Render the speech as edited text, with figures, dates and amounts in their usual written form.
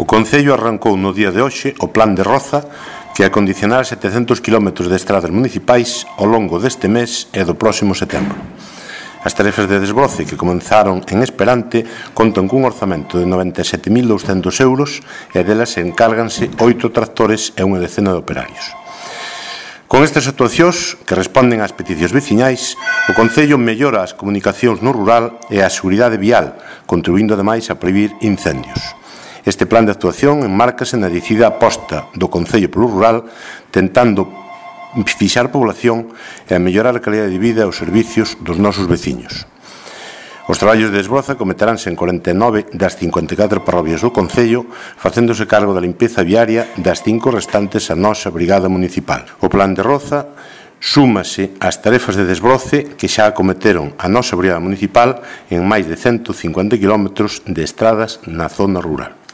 O Concello arrancou no día de hoxe o Plan de Roza que acondicionará 700 km de estradas municipais ao longo deste mes e do próximo setembro. As tarefas de desbroce que comenzaron en Esperante contan cun orzamento de 97.200 euros e delas encárganse 8 tractores e unha decena de operarios. Con estas actuacións, que responden ás peticións veciñais, o Concello mellora as comunicacións no rural e a seguridade vial, contribuindo ademais a prevenir incendios. Este plan de actuación enmárcase na decidida aposta do Concello polo rural, tentando fixar población e a mellorar a calidade de vida e os servicios dos nosos veciños. Os traballos de desbroza cometeránse en 49 das 54 parroquias do Concello, facéndose cargo da limpeza viaria das 5 restantes a nosa Brigada Municipal. O plan de Roza súmase ás tarefas de desbroce que xa acometeron a nosa Brigada Municipal en máis de 150 km de estradas na zona rural.